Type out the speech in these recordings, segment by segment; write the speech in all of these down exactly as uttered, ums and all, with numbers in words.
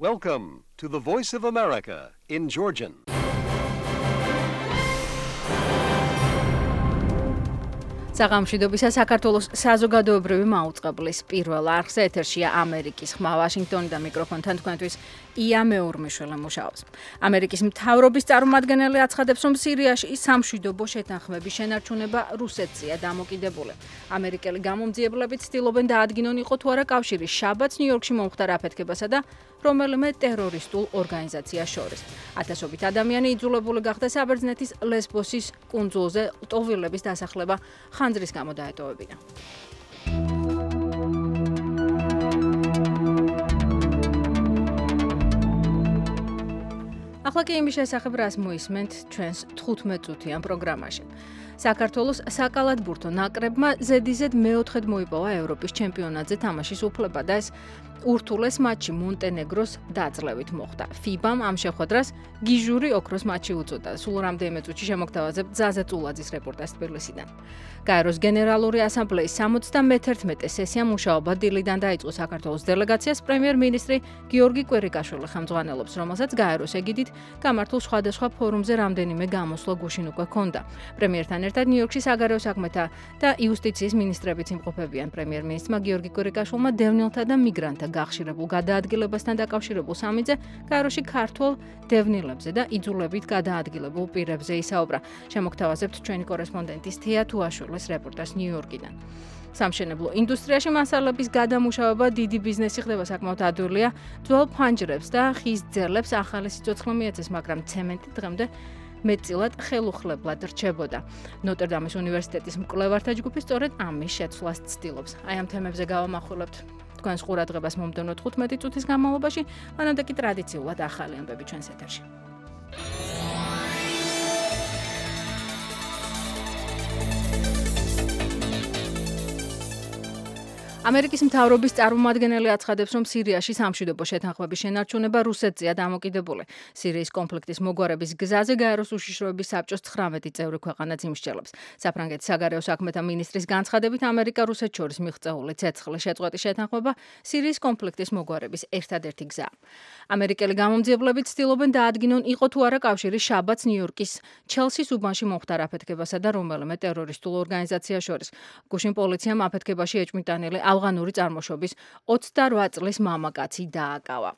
Welcome to the Voice of America in Georgian. საღამოშიდობისა საქართველოს საზოგადოებრივი მაუწყებლის პირველ არხზე ეთერშია ამერიკის ხმა ვაშინგტონიდან მიკროფონთან თქვენთვის ია მეურმიშვილი მუშაობს. ამერიკის მთავრობის წარმომადგენელი აცხადებს, რომ სირიაში სამშვიდობო შეთანხმების შენარჩუნება რუსეთზეა დამოკიდებული. ამერიკელი გამომძიებლები ცდილობენ დაადგინონ იყო თუ არა კავშირი შაბათს ნიუ-იორკში მომხდარ აფეთქებასა და რომელიმე ტერორისტულ ორგანიზაციას შორის. ათასობით ადამიანი იძულებული გახდა საბერძნეთის ლესბოსის კუნძულზე ლტოვილების დასახლება ხანძრის გამო დაეტოვებინა. ახლა კი იმის შესახებ რას მოისმენთ ჩვენს თხუთმეტ წუთიან პროგრამაში. საქართველოს საკალათბურთო ნაკრებმა ზედიზედ მეოთხედ მოიპოვა ევროპის ჩემპიონატზე თამაშის უფლება და ეს ურთულეს მატჩი მონტენეგროს დაძლევით მოხდა. ფიბამ ამ შეხვედრას გიჟური ოქროს მატჩი უწოდა. სულ რამდენიმე წუთში შემოგთავაზებთ ზაზა წულაძის რეპორტაჟს თბილისიდან. გაეროს გენერალური ასამბლეის სამოცდამეთერთმეტე სესია მუშაობა დილიდან დაიწყო საქართველოს დელეგაციას პრემიერ-მინისტრი გიორგი კვერიკაშვილი ხელმძღვანელობს, რომელსაც გაეროს ეგიდით გამართულ სხვადასხვა ფორუმზე რამდენიმე გამოსვლა გუშინ უკვე ჰქონდა. პრემიერთან ერთად ნიუ-იორკში საგარეო საქმეთა და იუსტიციის მინისტრებიც იმყოფებიან. პრემიერ-მინისტრმა გიორგი კვერიკაშვილმა დევნილთა და მიგრანტთა გახშირებულ გადაადგილებასთან დაკავშირებულ სამიტზე გაეროში ქართველ დევნილებზე და იძულებით გადაადგილებულ პირებზე ისაუბრა. შემოგთავაზებთ ჩვენი კორესპონდენტის თეა თუაშვილის რეპორტაჟს ნიუ-იორკიდან. სამშენებლო ინდუსტრიაში მასალების გადამუშავება დიდი ბიზნესი ხდება საკმაოდ ადვილია. ძველ ფანჯრებს და ხის ძელებს ახალი სიცოცხლე მიეცეს, მაგრამ ცემენტი დღემდე მეტწილად ხელუხლებლად რჩებოდა. ნოტრ-დამის უნივერსიტეტის მკვლევართა ჯგუფი სწორედ ამის შეცვლას ცდილობს. აი ამ თემებზე გავამახვილებთ თქვენს ყურადღებას მომდევნო თხუთმეტი წუთის განმავლობაში, მანამდე კი ტრადიციულად ახალი ამბები ჩვენს ეთერში. ამერიკის მთავრობის წარმომადგენელი აცხადებს, რომ სირიაში სამშვიდობო შეთანხმების შენარჩუნება რუსეთზეა დამოკიდებული. სირიის კონფლიქტის მოგვარების გზაზე გაეროს უშიშროების საბჭოს ცხრამეტი წევრი ქვეყანაც იმსჯელებს. საფრანგეთის საგარეო საქმეთა მინისტრის განცხადებით, ამერიკა-რუსეთს შორის მიღწეული ცეცხლის შეწყვეტის შეთანხმება სირიის კონფლიქტის მოგვარების ერთადერთი გზაა. ამერიკელი გამომძიებლები ცდილობენ დაადგინონ იყო თუ არა კავშირი შაბათს ნიუ-იორკის ჩელსის უბანში მომხდარ აფეთქებასა და რომელიმე ტერორისტულ ორგანიზაციას შორის. გუშინ პოლიციამ აფეთქებაში ეჭვმიტანილი ავღანური წარმოშობის ოცდარვა წლის მამაკაცი დააკავა.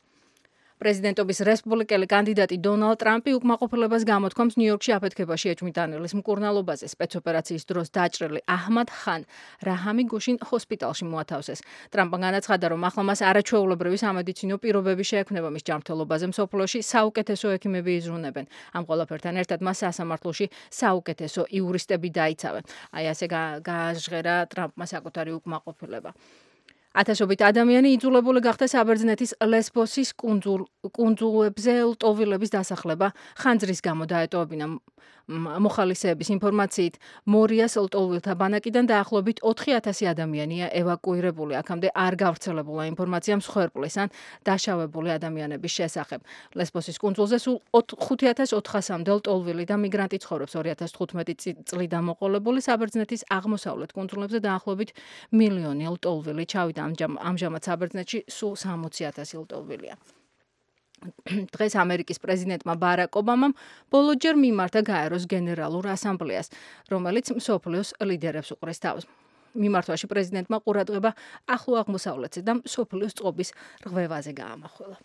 პრეზიდენტობის რესპუბლიკელი კანდიდატი დონალდ ტრამპი უკმაყოფილებას გამოთქვამს ნიუ-იორკში აფეთქებაში ეჭვმიტანილის მკურნალობაზე. სპეცოპერაციის დროს დაჭრილი აჰმად ხან რაჰამი გუშინ ჰოსპიტალში მოათავსეს. ტრამპმა განაცხადა, რომ ახლა მას არაჩვეულებრივი სამედიცინო პირობები შეექმნება მის ჯანმრთელობაზე მსოფლიოში საუკეთესო ექიმები იზრუნებენ. ამ ყველაფერთან ერთად მას სასამართლოში საუკეთესო იურისტები დაიცავენ. აი ასე გააჟღერა ტრამპმა საკუთარი უკმაყოფილება. ათასობით ადამიანი იძულებული გახდა საბერძნეთის ლესბოსის კუნძულ კუნძულებზე ლტოვილების დასახლება ხანძრის გამო დაეტოვებინა. მოხალისეების ინფორმაციით, მორიას ლტოვილთა ბანაკიდან დაახლოებით ოთხი ათასი ადამიანია ევაკუირებული. აქამდე არ გავრცელებულა ინფორმაცია მსხვერპლის ან დაშავებული ადამიანების შესახებ. ლესბოსის კუნძულზე სულ ხუთი ათას ოთხასამდე ლტოლვილი და მიგრანტი ცხოვრობს. ორი ათას თხუთმეტი წლიდან მოყოლებული საბერძნეთის აღმოსავლეთ კუნძულებზე დაახლოებით მილიონი ლტოლვილი ჩავიდა. ამჟამად საბერძნეთში სულ სამოცი ათასი ლტოლვილია. დღეს ამერიკის პრეზიდენტმა ბარაკ ობამამ ბოლოჯერ მიმართა გაეროს გენერალურ ასამბლეას, რომელიც მსოფლიოს ლიდერებს უყურეს თავს. მიმართვაში პრეზიდენტმა ყურადღება ახლო აღმოსავლეთზე და მსოფლიოს წყობის რღვევაზე გაამახვილა.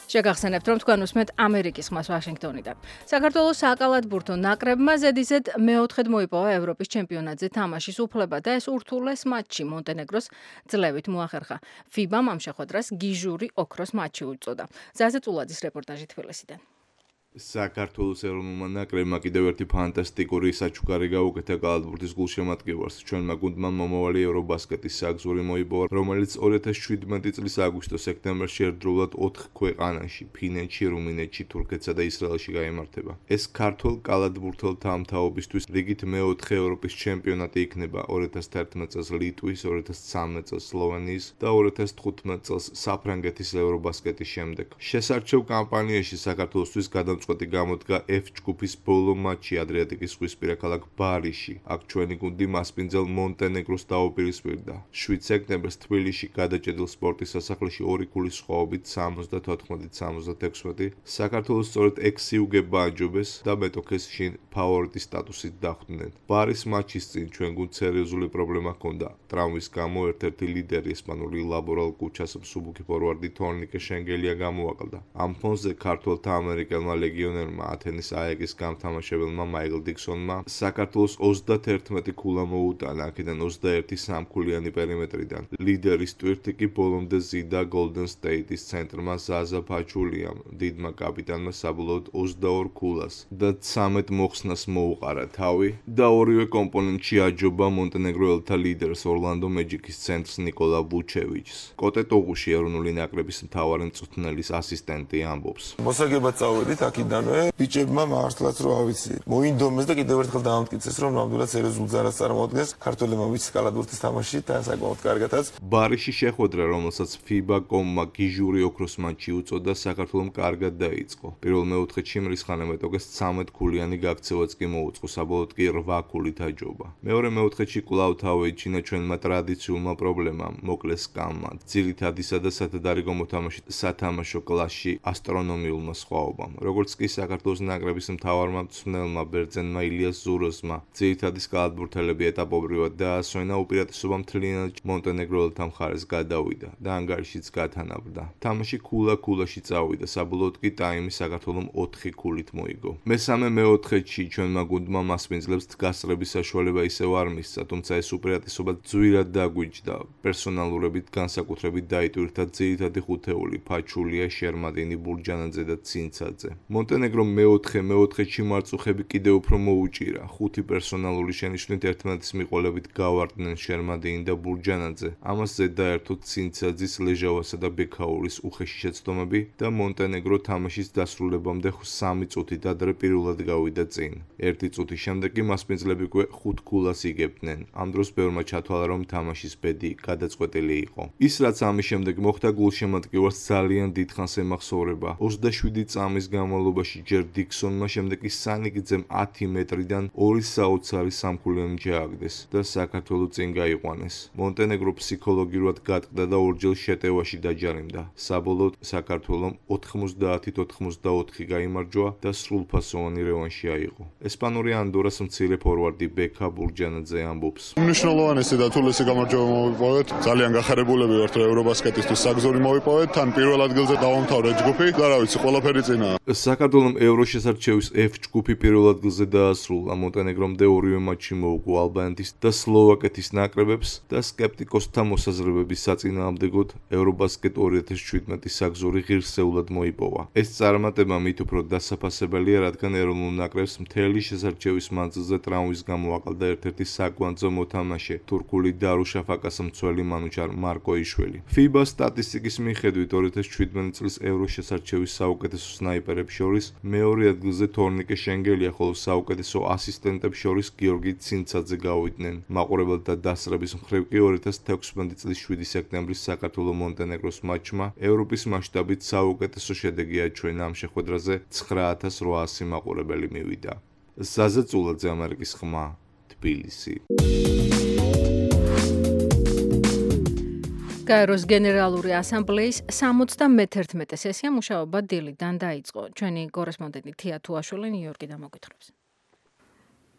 შეგახსენებთ, რომ თქვენ უსმენთ ამერიკის ხმას ვაშინგტონიდან. საქართველოს საკალათბურთო ნაკრებმა ზედიზედ მეოთხედ მოიპოვა ევროპის ჩემპიონატზე თამაშის უფლება და ეს ურთულეს მატჩი მონტენეგროს ძლევით მოახერხა. ფიბამ ამ შეხვედრას გიჟური ოქროს მატჩი უწოდა. ზაზა წულაძის რეპორტაჟი თბილისიდან. საქართველოს ეროვნულმა ნაკრებმა კიდევ ერთი ფანტასტიკური საჩუქარი გაუკეთა კალათბურთის გულშემატკივარს. ჩვენმა გუნდმა მომავალი ევრობასკეტის საგზური მოიპოვა, რომელიც ორი ათას შვიდმეტი წლის აგვისტო-სექტემბერში ერთდროულად ოთხ ქვეყანაში, ფინეთში, რუმინეთში, თურქეთსა და ისრაელში გაიმართება. ეს ქართველ კალათბურთელთა ამთაობისთვის რიგით მეოთხე ევროპის ჩემპიონატი იქნება ორი ათას თერთმეტ წელს ლიტვის, ორი ათას ცხრამეტ წელს სლოვენიის და ორი ათას თხუთმეტ წელს საფრანგეთის ევრობასკეტის შემდეგ. შესარჩევ კამპანიაში საქართველოსთვის გადამწყვეტ გადაწყვეტი გამოდგა F ჯგუფის ბოლო მატჩი ადრიატიკის ზღვისპირა ქალაქ ბარიში. აქ ჩვენი გუნდი მასპინძელ მონტენეგროს დაუპირისპირდა. შვიდ სექტემბერს თბილისში გადაჭედილ სპორტის სასახლეში ორი ქულის სხვაობით სამოცდათოთხმეტ სამოცდათექვსმეტი საქართველოს სწორედ ექვსი უგება აჯობეს და მეტოქეს შინ ფავორიტის სტატუსით დახვდნენ. ბარის მატჩის წინ ჩვენ გუნდს სერიოზული პრობლემა ჰქონდა. ტრამვის გამო ერთ-ერთი ლიდერი ესპანური ლაბორალ კუჩას მსუბუქი ფორვარდი თორნიკე შენგელია გამოაკლდა. ამ ფონზე ქართველთა ამერიკელმა ლეგიონერმა ათენის აეგის გამთამაშებელმა მაიკლ დიქსონმა საქართველოს ოცდათერთმეტი ქულა მოუტანა, აქედან ოცდაერთი სამქულიანი პერიმეტრიდან. ლიდერის ტვირთი კი ბოლომდე ზიდა Golden State-ის ცენტრმა ზაზა ფაჩულიამ, დიდმა კაპიტანმა საბოლოოდ ოცდაორ ქულას და ცამეტ მოხსნას მოუყარა თავი და ორივე კომპონენტში აჯობა მონტენეგროელთა ლიდერს ორლანდო მეჯიკის ცენტრს ნიკოლა ვუჩევიჩს. კოტე ტოღუში ეროვნული ნაკრების მთავარი მწვრთნელის ასისტენტი ამბობს. მოსაგებად წავედით აქიდანვე, ბიჭებმა მართლაც რო ავიცი. მოინდომეს და კიდევ ერთხელ დაამტკიცეს, რომ ნამდვილად სერიოზულ ზარას წარმოადგენს. ქართველებმა ვიცით კალათბურთის თამაში და საკმაოდ კარგადაც. ბარიში შეხვედრა, რომელსაც ფიბა კომმა გიჟური ოქროს მატჩი უწოდა, საქართველომ კარგად დაიწყო. პირველ მეოთხედში მრისხანე მეტოქეს ცამეტ ქულიანი გაქცევაც კი მოუწყო, საბოლოოდ კი რვა ქულით აჯობა. მეორე მეოთხედში კვლავ თავი ეჩინა ჩვენმა ტრადიციულმა პრობლემამ, მოკლეს სკამმა, ძირითადისა და სათადარიგო მოთამაშით სათამაშო კლასში ასტრონომიულმა სხვაობამ. როგორც კი საქართველოს ნაკრების მთავარმა მწვრთნელმა ბერძენმა ილიას ზუროსმა ძირითადის კალათბურთელები ეტაპობრივად დაასვენა, უპირატესობა მთლიანად მონტენეგროელთა მხარეს გადავიდა და ანგარიშიც გათანაბრდა. თამაში ქულა-ქულაში წავიდა, საბოლოოდ კი ტაიმი საქართველომ ოთხი ქულით მოიგო. მესამე მეოთხედში ჩვენმა გუნდმა მასპინძლებს გასწრების საშუალება ისევ არ მისცა, თუმცა ეს უპირატესობა ძვირად დაგვიჯდა. პერსონალურებით განსაკუთრებით დაიტვირთა ძირითადი ხუთეული ფაჩულია, შერმადინი, ბურჯანაძე და ცინცაძე. მონტენეგრომ მეოთხე მეოთხედში მარწუხები კიდევ უფრო მოუჭირა. ხუთი პერსონალური შენიშვნით ერთმანეთის მიყოლებით გავარდნენ შერმადინი და ბურჯანაძე. ამას ზედაერთოდ ცინცაძის, ლეჟავასა და ბექაურის უხეში შეცდომები და მონტენეგრო თამაშის დასრულებამდე სამი წუთით ადრე პირველად გავიდა წინ. ერთი წუთის შემდეგ კი მასპინძლები უკვე ხუთ ქულას იგებდნენ. ამ დროს ბევრმა ჩათვალა, რომ თამაშის ბედი გადაწყვეტილი იყო. ის რაც ამის შემდეგ მოხდა, გულშემატკივარს ძალიან დიდხანს ემახსოვრება. ოცდაშვიდი წამის განმავლობაში ჯერ დიქსონმა, შემდეგ კი სანიგძემ ათი მეტრიდან ორი საოცარი სამქულიანი ჩააგდეს და საქართველო წინ გაიყვანეს. მონტენეგრო ფსიქოლოგიურად გატყდა და ორჯერ შეტევაში დაჯარიმდა. საბოლოოდ საქართველომ ოთხმოცდაათით ოთხმოცდაოთხი გაიმარჯვა და სრულფასოვანი რევანში აიღო. ესპანური ანდორას მცირე ფორვარდი ბექა ბურჯანაძე ამბობს. უმნიშვნელოვანესი და თულესი გამარჯვება მოვიპოვეთ. ძალიან გახარებულები ვართ, რომ ევრობასკეტისთვის საგზური მოვიპოვეთ. თან პირველ ადგილზე დავამთავრე ჯგუფი და რა ვიცი, ყველაფერი წინაა. საქართველომ ევროშესარჩევის F ჯგუფი პირველ ადგილზე დაასრულა. მონტენეგრომდე ორივე მატჩი მოუგო ალბანეთის და სლოვაკეთის ნაკრებებს და სკეპტიკოსთა მოსაზრებების საწინააღმდეგოდ ევრობასკეტ ორი ათას შვიდმეტი საგზური ღირსეულად მოიპოვა. ეს წარმატება მით უფრო დასაფასებელია, რადგან ეროვნულ ნაკრებს მთელი შესარჩევის მანძილზე ტრამვის გამო აყალდა ერთ-ერთი საკვანძო მოთამაშე, თურქული დარუშაფაკას მცველი მანუჩარ მარკოიშვილი. ფიბა სტატისტიკის მიხედვით ორი ათას შვიდმეტი წლის ევროშესარჩევის საუკეთესო სნაიპერებს შორის მეორე ადგილზე თორნიკე შენგელია, ხოლო საუკეთესო ასისტენტებს შორის გიორგი ცინცაძე გავიდნენ. მაყურებელთა დასწრების მხრივ კი ორი ათას თექვსმეტი წლის შვიდი სექტემბრის საქართველო-მონტენეგროს მატჩმა ევროპის მასშტაბით საუკეთესო შედეგი აჩვენა. ამ შეხვედრაზე ცხრა ათას რვაასი მაყურებელი მივიდა. ზაზა წულაძე, ამერიკის ხმა, თბილისი. გაეროს გენერალური ასამბლეის სამოცდამეთერთმეტე სესია მუშაობა დილიდან დაიწყო. ჩვენი კორესპონდენტი თია თუაშვილი ნიუ-იორკიდან მოგვითხრობს.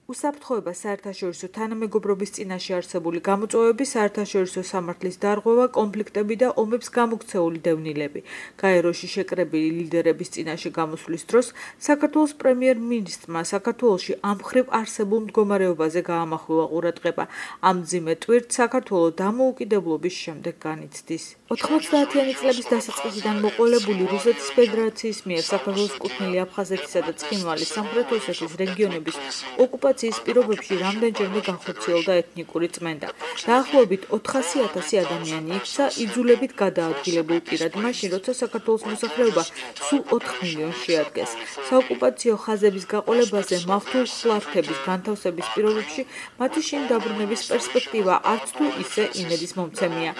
უსაფრთხოება საერთაშორისო თანამეგობრობის წინაშე არსებული გამოწვევები, საერთაშორისო სამართლის დარღვევა, კონფლიქტები და ომებს გამოქცეული დევნილები. გაეროში შეკრებილი ლიდერების წინაშე გამოსვლის დროს საქართველოს პრემიერ-მინისტრმა საქართველოში ამ მხრივ არსებულ მდგომარეობაზე გაამახვილა ყურადღება. ამ მძიმე ტვირთს საქართველო დამოუკიდებლობის შემდეგ განიცდის. ოთხმოცდაათიანი წლების დასაწყისიდან მოყოლებული რუსეთის ფედერაციის მიერ საქართველოს კუთვნილი აფხაზეთისა და ცხინვალის სამხრეთ ოსეთის რეგიონების ოკუპაცია ოკუპაციის პირობებში რამდენჯერმე განხორციელდა ეთნიკური წმენდა. დაახლოებით ოთხასი ათასი ადამიანი იქცა იძულებით გადაადგილებულ პირად, მაშინ როცა საქართველოს მოსახლეობა სულ ოთხ მილიონს შეადგენს. საოკუპაციო ხაზების გაყოლებაზე მავთულ ხლართების განთავსების პირობებში მათი შინ დაბრუნების პერსპექტივა არც თუ ისე იმედის მომცემია.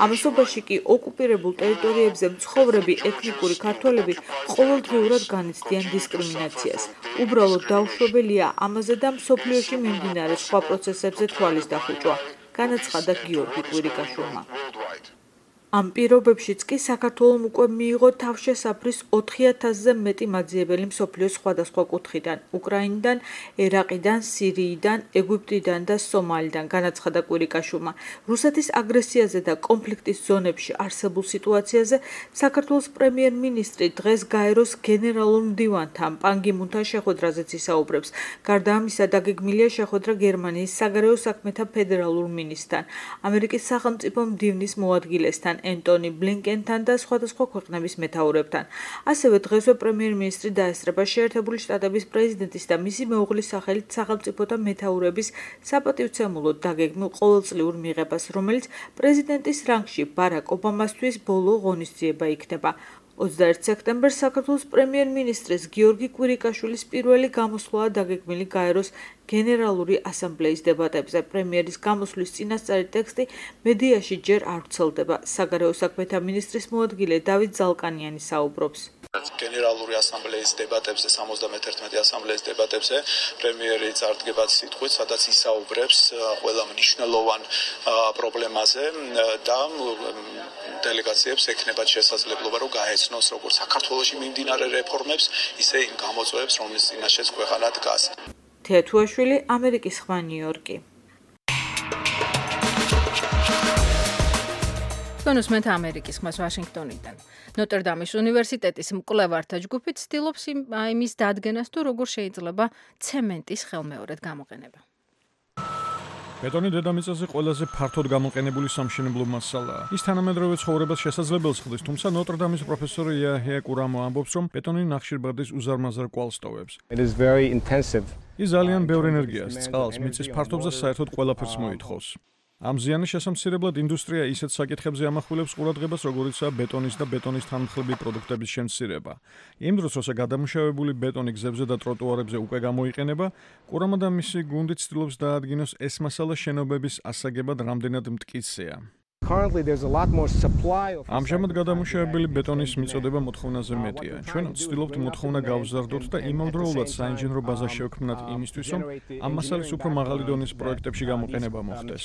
ამასობაში კი ოკუპირებულ ტერიტორიებზე მცხოვრები ეთნიკური ქართველები ყოველდღიურად განიცდიან დისკრიმინაციას. უბრალოდ დაუშვებელია ამაზე და მსოფლიოში მიმდინარე სხვა პროცესებზე თვალის დახუჭვა, განაცხადა გიორგი კვირიკაშვილმა. ამ პირობებშიც კი საქართველომ უკვე მიიღო თავშესაფრის ოთხი ათასზე მეტი მაძიებელი მსოფლიოს სხვადასხვა კუთხიდან, უკრაინიდან, ერაყიდან, სირიიდან, ეგვიპტიდან და სომალიდან, განაცხადა კვირიკაშვილმა. რუსეთის აგრესიაზე და კონფლიქტის ზონებში არსებულ სიტუაციაზე საქართველოს პრემიერ-მინისტრი დღეს გაეროს გენერალურ მდივანთან პან გი მუნთან შეხვედრაზეც ისაუბრებს. გარდა ამისა, დაგეგმილია შეხვედრა გერმანიის საგარეო საქმეთა ფედერალურ მინისტრთან, ამერიკის სახელმწიფო მდივნის მოადგილესთან, ენტონი ბლინკენთან და სხვადასხვა ქვეყნების მეთაურებთან. ასევე დღესვე პრემიერ-მინისტრი დაესწრება შეერთებული შტატების პრეზიდენტის და მისი მეუღლის სახელით სახელმწიფოთა მეთაურების საპატივცემულოდ დაგეგმილ ყოველწლიურ მიღებას, რომელიც პრეზიდენტის რანგში ბარაკ ობამასთვის ბოლო ღონისძიება იქნება. ოცდაერთი სექტემბერს საქართველოს პრემიერ-მინისტრის გიორგი კვირიკაშვილის პირველი გამოსვლაა დაგეგმილი გაეროს გენერალური ასამბლეის დებატებზე. პრემიერის გამოსვლის წინასწარი ტექსტი მედიაში ჯერ არ ვრცელდება. საგარეო საქმეთა მინისტრის მოადგილე დავით ზალკანიანი საუბრობს. გენერალური ასამბლეის დებატებზე, სამოცდამეთერთმეტი ასამბლეის დებატებზე პრემიერი წარდგება სიტყვით, სადაც ისაუბრებს ყველა მნიშვნელოვან პრობლემაზე და დელეგაციებს ექნებათ შესაძლებლობა, რომ გაეცნოს როგორც საქართველოში მიმდინარე რეფორმებს, ისე იმ გამოწვევებს, რომლის წინაშეც ქვეყანა დგას. თეათუაშვილი, ამერიკის ხმა, ნიუ-იორკი. კონუსმეთ ამერიკის ხმას ვაშინგტონიდან. ნოტრ-დამის უნივერსიტეტის მკვლევართა ჯგუფი ცდილობს იმის დადგენას, თუ როგორ შეიძლება ცემენტის ხელმეორედ გამოყენება. ბეტონი დედამიწაზე ყველაზე ფართოდ გამოყენებული სამშენებლო მასალაა. ის თანამედროვე ცხოვრებას შესაძლებელს ხდის, თუმცა ნოტრ-დამის პროფესორი იაჰია კურამო ამბობს, რომ ბეტონი ნახშირბადის უზარმაზარ კვალს ტოვებს. ის ძალიან ბევრ ენერგიას, წყალს, მიწის ფართობს და საერთოდ ყველაფერს მოითხოვს. ამ ზიანის შესამცირებლად ინდუსტრია ისეთ საკითხებზე ამახვილებს ყურადღებას, როგორიცაა ბეტონის და ბეტონის თანმხლები პროდუქტების შემცირება. იმ დროს, როცა გადამუშავებული ბეტონი გზებზე და ტროტუარებზე უკვე გამოიყენება, კურამა და მისი გუნდი ცდილობს დაადგინოს ეს მასალა შენობების ასაგებად რამდენად მტკიცეა. ამჟამად გადამუშავებელი ბეტონის მიწოდება მოთხოვნაზე მეტია. ჩვენ ვცდილობთ მოთხოვნა გავზარდოთ და იმავდროულად საინჟინრო ბაზა შევქმნათ იმისთვის, რომ ამ მასალის უფრო მაღალი დონის პროექტებში გამოყენება მოხდეს.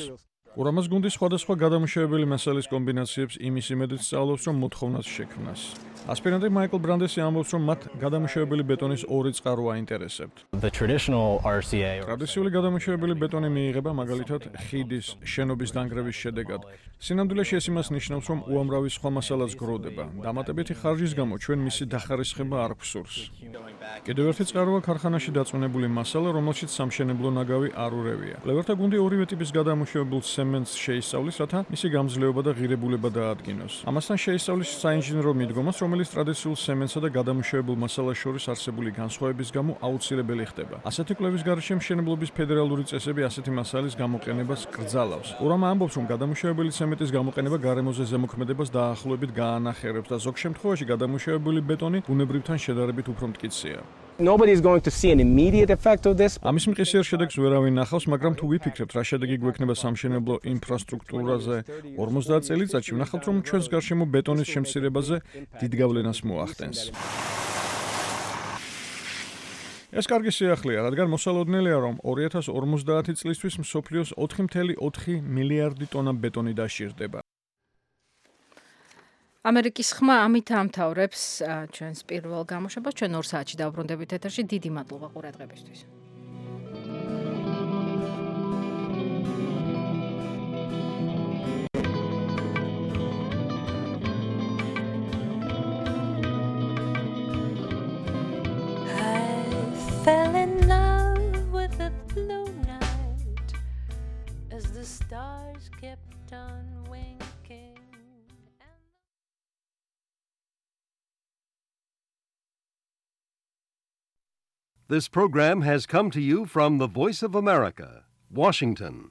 კურამას გუნდი სხვადასხვა გადამუშავებელი მასალის კომბინაციებს იმის იმედით სწავლობს, რომ მოთხოვნას შექმნას. ასპირანტი მაიკლ ბრანდესი ამბობს, რომ მათ გადამუშავებელი ბეტონის ორი წყარო აინტერესებთ. ტრადიციული გადამუშავებელი ბეტონი მიიღება მაგალითად ხიდის შენობის დანგრევის შედეგად. სინამდვილეში ეს იმას ნიშნავს, რომ უამრავი სხვა მასალაც გროვდება. დამატებითი ხარჯის გამო ჩვენ მისი დახარისხება არ გვსურს. კიდევ ერთი წყაროა ქარხანაში დაწუნებული მასალა, რომელშიც სამშენებლო ნაგავი არ ურევია. კვლევართა გუნდი ორივე ტიპის გადამუშავებულ ცემენტს შეისწავლის, რათა მისი გამძლეობა და ღირებულება დაადგინოს. ამასთან შეისწავლის საინჟინრო მიდგომას, რომელიც ტრადიციულ ცემენტსა და გადამუშავებულ მასალას შორის არსებული განსხვავების გამო აუცილებელი ხდება. ასეთი კვლევის გარეშე მშენებლობის ფედერალური წესები ასეთი მასალის გამოყენებას კრძალავს. კურამა ამბობს, რომ გადამუშავებელი ცემენტის გამოყენება გარემოზე ზემოქმედებას დაახლოებით გაანახიერებს და ზოგ შემთხვევაში გადამუშავებული ბეტონი ბუნებრივთან შედარებით უფრო მტკიცეა. Nobody is going to see an immediate effect of this. ამის მყისიერ შედეგს ვერავინ ნახავს, მაგრამ თუ ვიფიქრებთ, რა შედეგი გვექნება სამშენებლო ინფრასტრუქტურაზე ორმოცდაათ წელიწადში, ვნახავთ, რომ ჩვენს გარშემო ბეტონის შემცირებაზე დიდ გავლენას მოახდენს. ეს კარგი სიახლეა, რადგან მოსალოდნელია, რომ ორი ათას ორმოცდაათი წლისთვის მსოფლიოს ოთხი კoma ოთხი მილიარდი ტონა ბეტონი დაშირდება. ამერიკის ხმა ამით ამთავრებს ჩვენს პირველ გამოშვებას. ჩვენ ორ საათში დავბრუნდებით ეთერში. დიდი მადლობა ყურადღებისთვის. Fell in love with the blue night as the stars kept on winking. This program has come to you from the Voice of America, Washington.